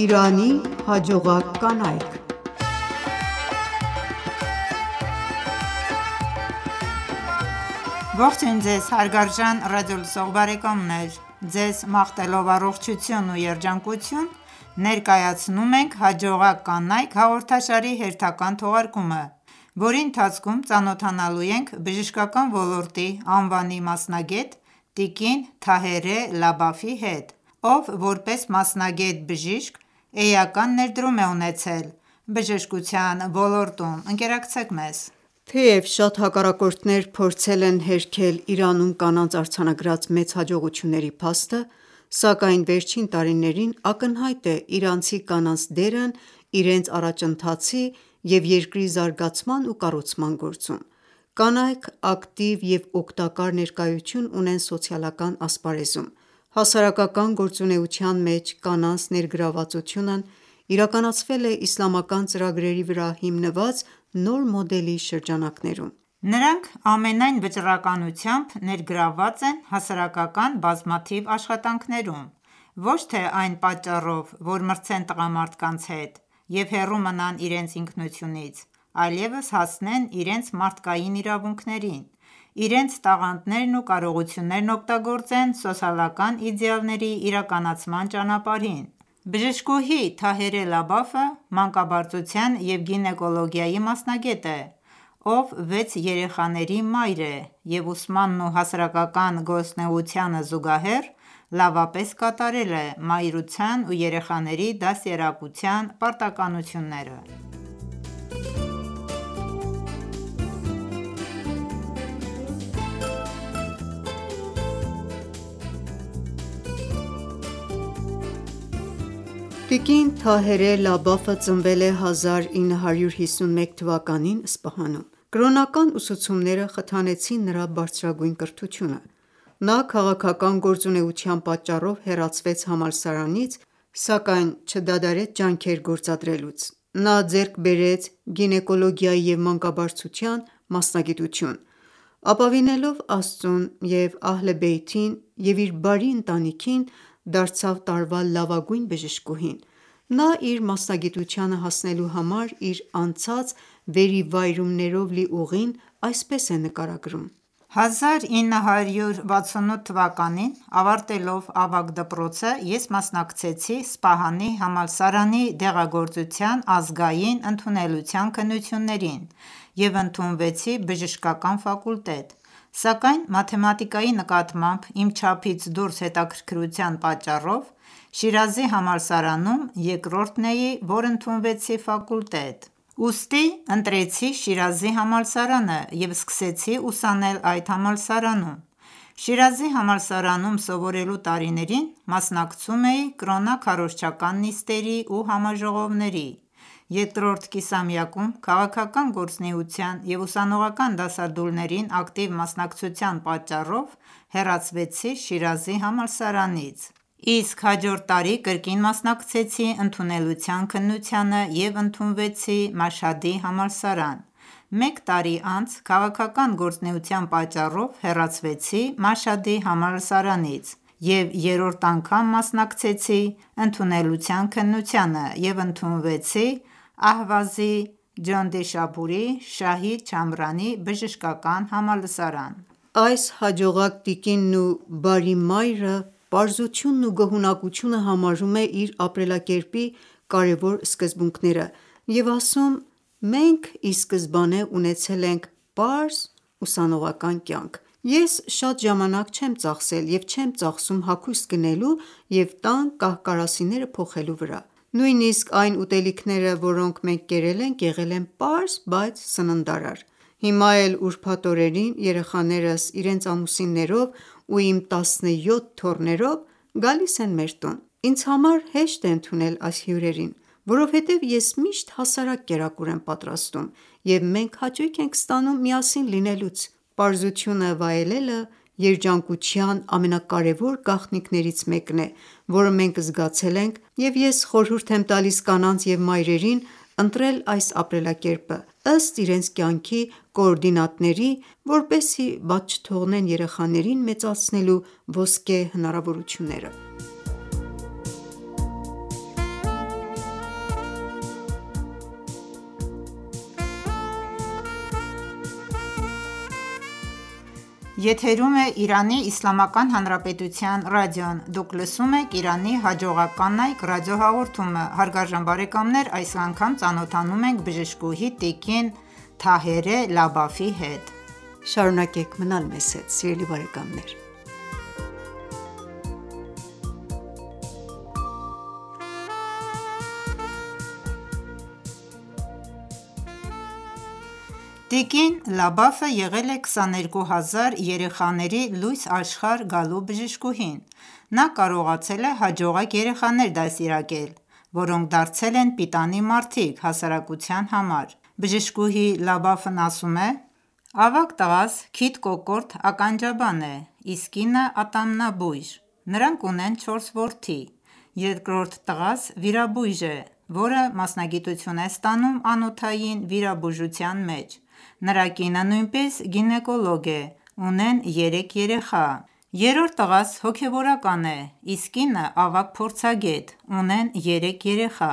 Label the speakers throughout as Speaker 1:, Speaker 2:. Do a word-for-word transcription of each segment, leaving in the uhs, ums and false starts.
Speaker 1: Իրանի հաջողակ կանայք
Speaker 2: Ողջույն ձեզ հարգարժան ռադիոլսող բարեկամներ: Ձեզ մաղթելով առողջություն ու երջանկություն ներկայացնում ենք «Հաջողակ կանայք» հաղորդաշարի հերթական թողարկումը, որի ընթացքում ծանոթանալու ենք բժշկական ոլորտի անվանի մասնագետ տիկին Թահերե Լաբաֆի հետ, ով որպես մասնագետ բժիշկ էական ներդրում է ունեցել բժշկության ոլորտում: Ընկերակցեք մեզ:
Speaker 1: Թեև շատ հակառակորդներ փորձել են հերքել Իրանում կանանց արձանագրած մեծ հաջողությունների փաստը, սակայն վերջին տարիներին ակնհայտ է իրանցի կանանց դերն իրենց առաջընթացի և երկրի զարգացման ու կառուցման գործում: Կանայք ակտիվ և օգտակար ներկայություն ունեն սոցիալական ասպարեզում: Հասարակական գործունեության մեջ կանանց ներգրավվածությունն իրականացվել է իսլամական ծրագրերի վրա հիմնված նոր մոդելի շրջանակներում:
Speaker 2: Նրանք ամենայն վճռականությամբ ներգրավված են հասարակական բազմաթիվ աշխատանքներում, ոչ թե այն պատճառով, որ մրցեն տղամարդկանց հետ և հեռու մնան իրենց ինքնությունից, այլևս հասնեն իրենց մարդկային իրավունքներին, իրենց տաղանդներն ու կարողություններն օգտագործեն սոցիալական իդեալների իրականացման ճանապարհին: Բժշկուհի Թահերե Լաբաֆը մանկաբարձության և գինեկոլոգիայի մասնագետ է, ով վեց երեխաների մայր է և ուսմանն ու հասարակական գործունեությանը զուգահեռ լավապես կատարել է մայրության ու երեխաների դաստիարակության պարտականությունները:
Speaker 1: Տիկին Թահերե Լաբաֆը ծնվել է հազար ինը հարյուր հիսուն մեկ թվականին Սպահանում: Կրոնական ուսուցումները խթանեցին նրա բարձրագույն կրթությունը: Նա քաղաքական գործունեության պատճառով հեռացվեց համալսարանից, սակայն չդադարեց ջանքեր գործադրելուց: Նա ձեռք բերեց գինեկոլոգիայի և մանկաբարձության մասնագիտություն: Ապավինելով Աստծուն և Ահլ Բեյթին և իր բարի ընտանիքին, դարձավ տարվա լավագույն բժշկուհին: Նա իր մասնագիտությանը հասնելու համար իր անցած վերիվայրումներով լի ուղին այսպես է նկարագրում.
Speaker 2: «Հազար ինը հարյուր վաթսունութ թվականին ավարտելով ավագ դպրոցը ես մասնակցեցի Սպահանի համալսարանի դեղագործության ազգային ընդունելության քննություններին և ընդունվեցի բժշկական ֆակուլտետ, սակայն մաթեմատիկայի նկատմամբ իմ չափից դուրս հետաքրքրության պատճառով Շիրազի համալսարանում երկրորդն էի, որ ընդունվեցի ֆակուլտետ: Ուստի ընտրեցի Շիրազի համալսարանը և սկսեցի ուսանել այդ համալսարանում: Շիրազի համալսարանում սովորելու տարիներին մասնակցում էի կրոնաքարոզչական նիստերի ու համաժողովների: Երկրորդ կիսամյակում քաղաքական գործունեության և ուսանողական դասադուլներին ակտիվ մասնակցության պատճառով հեռացվեցի Շիրազի համալսարանից, իսկ հաջորդ տարի կրկին մասնակցեցի ընդունելության քննությանը և ընդունվեցի Մաշհադի համալսարան: Մեկ տարի անց քաղաքական գործունեության պատճառով հեռացվեցի Մաշհադի համալսարանից և երրորդ անգամ մասնակցեցի ընդունելության քննությանը և ընդունվեցի Ահվազի Ջանդեշապուրի Շահիդ Չամրանի բժշկական համալսարան:
Speaker 1: Այս հաջողակ տիկինն ու բարի մայրը պարզությունն ու գոհունակությունը համարում է իր ապրելակերպի կարևոր սկզբունքները և ասում. «Մենք ի սկզբանե ունեցել ենք պարզ ուսանողական կյանք: Ես շատ ժամանակ չեմ ծախսել և չեմ ծախսում հագուստ գնելու և տան կահ-կարասիները փոխելու վրա: Նույնիսկ այն ուտելիքները, որոնք մենք կերել ենք, եղել են պարզ, բայց սննդարար: Հիմա էլ ուրբաթ օրերին երեխաներս իրենց ամուսիններով ու իմ տասնյոթ թոռներով գալիս են մեր տուն: Ինձ համար հեշտ է ընդունել այս հյուրերին, որովհետև ես միշտ հասարակ կերակուր եմ պատրաստում և մենք հաճույք ենք ստանում միասին լինելուց: Պարզությունը վայելելը երջանկության ամենակարևոր գաղտնիքներից մեկն է, որը մենք զգացել ենք և ես խորհուրդ եմ տալիս կանանց և մայրերին ընտրել այս ապրելակերպը ըստ իրենց կյանքի կոորդինատների, որպեսզի բաց չթողնեն երեխաներին մեծացնելու ոսկե հնարավորությունները»:
Speaker 2: Եթերում է Իրանի Իսլամական Հանրապետության ռադիոն: Դուք լսում եք Իրանի հաջողակ կանայք ռադիոհաղորդումը, հարգարժան բարեկամներ: Այս անգամ ծանոթանում ենք բժշկուհի տիկին Թահերե Լաբաֆի հետ:
Speaker 1: Շարունակեք մնալ մեզ հետ սիրելի բարեկամներ:
Speaker 2: Տիկին Լաբաֆը եղել է քսաներկու հազար երեխաների լույս աշխարհ գալու բժշկուհին: Նա կարողացել է հաջողակ երեխաներ դաստիարակել, որոնք դարձել են պիտանի մարդիկ հասարակության համար: Բժշկուհի Լաբաֆն ասում է. «Ավագ տղաս քիթ կոկորտ ականջաբան է, իսկ կինը ատամնաբույժ: Նրանք ունեն չորս որդի: Երկրորդ տղաս վիրաբույժ է, որը մասնագիտություն է ստանում անոթային վիրաբուժության մեջ: Նրա կինը նույնպես գինեկոլոգ է, ունեն երեք երեխա: Երրորդ տղաս հոգևորական է, իսկ կինը ավագ փորձագետ, ունեն երեք երեխա: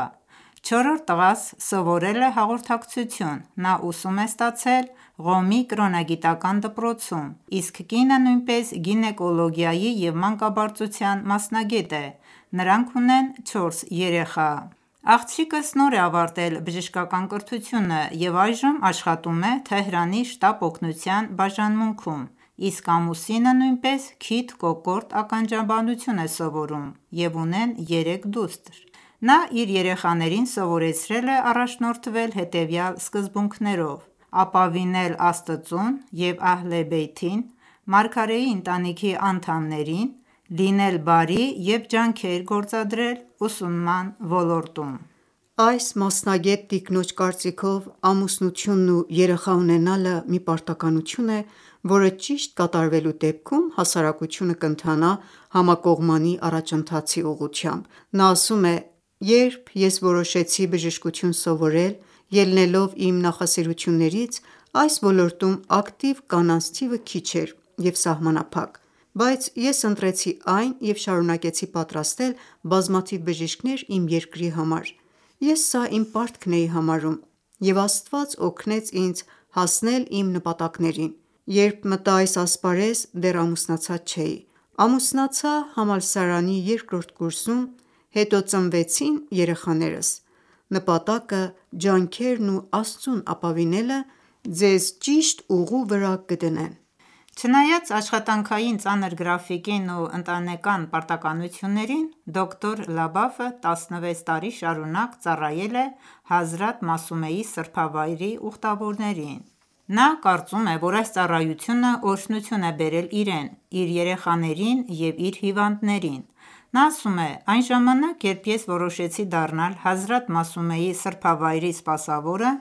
Speaker 2: Չորրորդ տղաս սովորել է հաղորդակցություն, նա ուսում է ստացել Ղոմի կրոնագիտական դպրոցում, իսկ կինը նույնպես գինեկոլոգիայի և մանկաբարձության մասնագետ է, նրանք ունեն չորս երեխա: Աղջիկս նոր է ավարտել բժշկական կրթությունը և այժմ աշխատում է Թեհրանի շտապ օգնության բաժանմունքում, իսկ ամուսինը նույնպես քիթ կոկորտ ականջաբանություն է սովորում և ունեն երեք դուստր: Նա իր երեխաներին սովորեցրել է առաջնորդվել հետևյալ սկզբունքներով՝ ապավինել Աստծուն և Ահլե Բեյթին, մարգարեի ընտանիքի անդամներին, լինել բարի և ջանքեր գործադրել ուսումնման ոլորտում:
Speaker 1: Այս մասնագետ տիկնոջ կարծիքով ամուսնությունն ու երեխա ունենալը մի պարտականություն է, որը ճիշտ կատարվելու դեպքում հասարակությունը կընթանա համակողմանի առաջընթացի ուղղությամբ: Նա ասում է. «Երբ ես որոշեցի բժշկություն սովորել, ելնելով իմ նախասիրություններից, այս ոլորտում ակտիվ կանանց թիվը քիչ էր և սահմանափակ: Բայց ես ընտրեցի այն և շարունակեցի պատրաստել բազմաթիվ բժիշկներ իմ երկրի համար: Ես սա իմ պարտքն էի համարում և Աստված օգնեց ինձ հասնել իմ նպատակներին: Երբ մտա այս ասպարեզ, դեռ ամուսնացած չէի: Ամուսնացա համալսարանի երկրորդ կուրսում, հետո ծնվեցին երեխաներս: Նպատակը ջանքերն ու Աստծուն ապավինելը ձեզ ճիշտ ուղու վրա կդնեն»:
Speaker 2: Չնայած աշխատանքային ծանր գրաֆիկին ու ընտանեկան պարտականություններին, դոկտոր Լաբաֆը տասնվեց տարի շարունակ ծառայել է Հազրաթ Մասումեի սրբավայրի ուխտավորներին: Նա կարծում է, որ այս ծառայությունը օրհնություն է բերել իրեն, իր երեխաներին և իր հիվանդներին: Նա ասում է. «Այն ժամանակ, երբ ես որոշեցի դառնալ Հազրաթ Մասումեի սրբավայրի սպասավորը,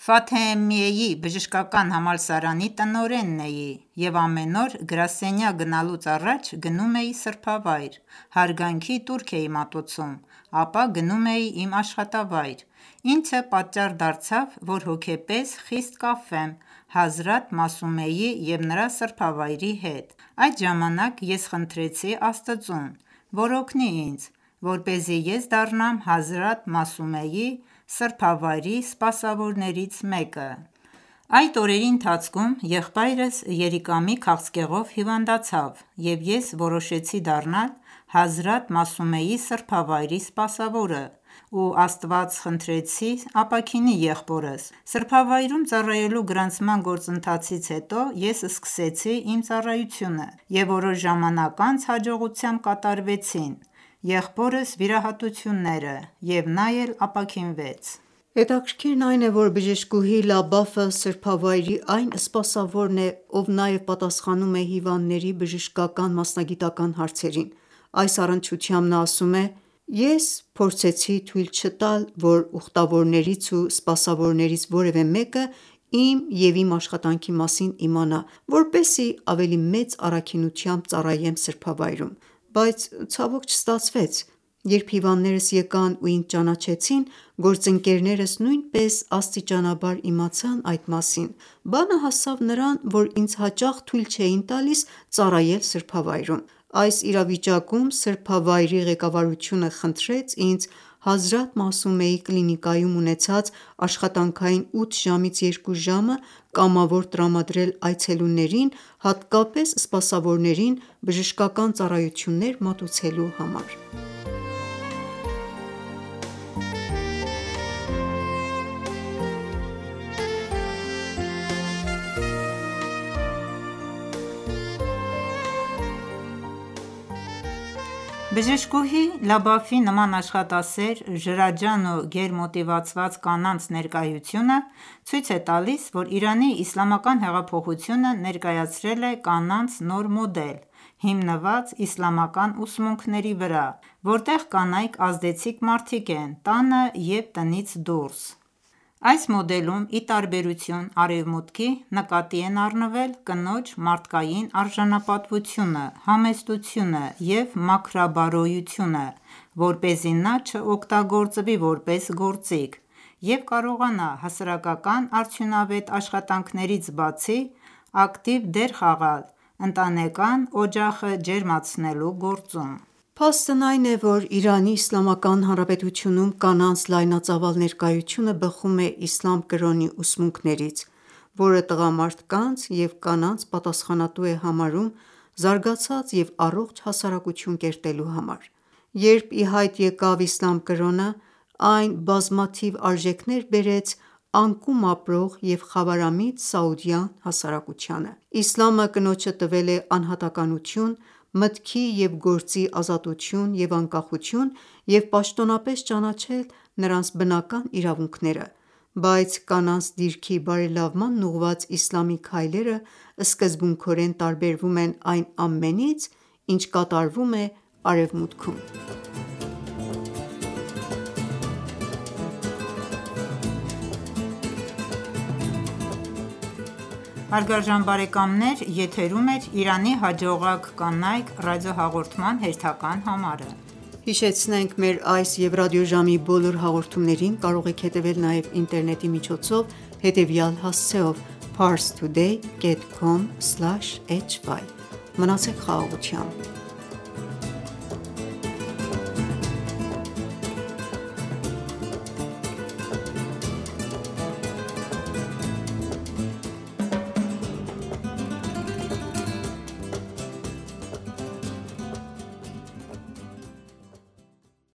Speaker 2: Ֆաթեմիեի բժշկական համալսարանի տնօրենն էի և ամեն օր գրասենյակ գնալուց առաջ գնում էի սրբավայր, հարգանքի տուրք էի մատուցում, ապա գնում էի իմ աշխատավայր, ինչը պատճառ դարձավ, որ հոգեպես խիստ կապվեմ Հազրաթ Մասումեի և նրա սրբավայրի հետ: Այդ ժամանակ ես խնդրեցի Աստծուն, որ օգնի ինձ, որպեսզի ես դառնամ Հազրաթ Մասումեի սրբավայրի սպասավորներից մեկը: Այդ օրերի ընթացքում եղբայրս երիկամի քաղցկեղով հիվանդացավ և ես որոշեցի դառնալ Հազրաթ Մասումեի սրբավայրի սպասավորը ու Աստված խնդրեցի ապաքինի եղբորս: Սրբավայրում ծառայելու գրանցման գործընթացից հետո ես սկսեցի իմ ծառայությունը և որոշ ժամանակ անց հաջողությամբ կատարվեցին եղբորս վիրահատությունները և նա էլ ապաքինվեց»:
Speaker 1: Հետաքրքիրն այն է, որ բժշկուհի Լաբաֆը սրբավայրի այն սպասավորն է, ով նաև պատասխանում է հիվանդների բժշկական մասնագիտական հարցերին: Այս առնչությամբ նա ասում է. «Ես փորձեցի թույլ չտալ, որ ուխտավորներից ու սպասավորներից որևէ մեկը իմ և իմ աշխատանքի մասին իմանա, որպեսզի ավելի մեծ առաքինությամբ ծառայեմ սրբավայրում: Բայց ցավոք չստացվեց: Երբ հիվանդներս եկան ու ինձ ճանաչեցին, գործընկերներս նույնպես աստիճանաբար իմացան այդ մասին: Բանը հասավ նրան, որ ինձ հաճախ թույլ չէին տալիս ծառայել սրբավայրում: Այս իրավիճակում սրբավայրի ղեկավարությունը խնդրեց ինձ Հազրաթ Մասումեի կլինիկայում ունեցած աշխատանքային ութ ժամից երկու ժամը կամավոր տրամադրել այցելուներին, հատկապես սպասավորներին, բժշկական ծառայություններ մատուցելու համար։
Speaker 2: Բժշկուհի Լաբաֆի նման աշխատասեր, ջրաջան ու գերմոտիվացված կանանց ներկայությունը ցույց է տալիս, որ Իրանի իսլամական հեղափոխությունը ներկայացրել է կանանց նոր մոդել՝ հիմնված իսլամական ուսմունքների վրա, որտեղ կանայք ազդեցիկ մարդիկ են տանը և տնից դուրս: Այս մոդելում, ի տարբերություն Արևմուտքի, նկատի են առնվել կնոջ մարդկային արժանապատվությունը, համեստությունը և մաքրաբարոյությունը, որպեսզի նա չօգտագործվի որպես գործիք և կարողանա հասարակական արդյունավետ աշխատանքներից բացի, ակտիվ դեր խաղալ ընտանեկան օջախը ջերմացնելու գործում:
Speaker 1: Փաստն այն է, որ Իրանի Իսլամական Հանրապետությունում կանանց լայնածավալ ներկայությունը բխում է իսլամ կրոնի ուսմունքներից, որը տղամարդկանց և կանանց պատասխանատու է համարում զարգացած և առողջ հասարակություն կերտելու համար: Երբ ի հայտ եկավ իսլամ կրոնը, այն բազմաթիվ արժեքներ բերեց անկում ապրող և խավարամիտ սաուդյան հասարակությանը: Իսլամը կնոջը տվել է անհատականություն, մտքի և գործի ազատություն և անկախություն և պաշտոնապես ճանաչել նրանց բնական իրավունքները, բայց կանանց դիրքի բարելավմանն ուղղված իսլամի քայլերը սկզբունքորեն տարբերվում են այն ամենից, ինչ կատարվում է Արևմուտքում: Մնացեք խաղաղությամբ: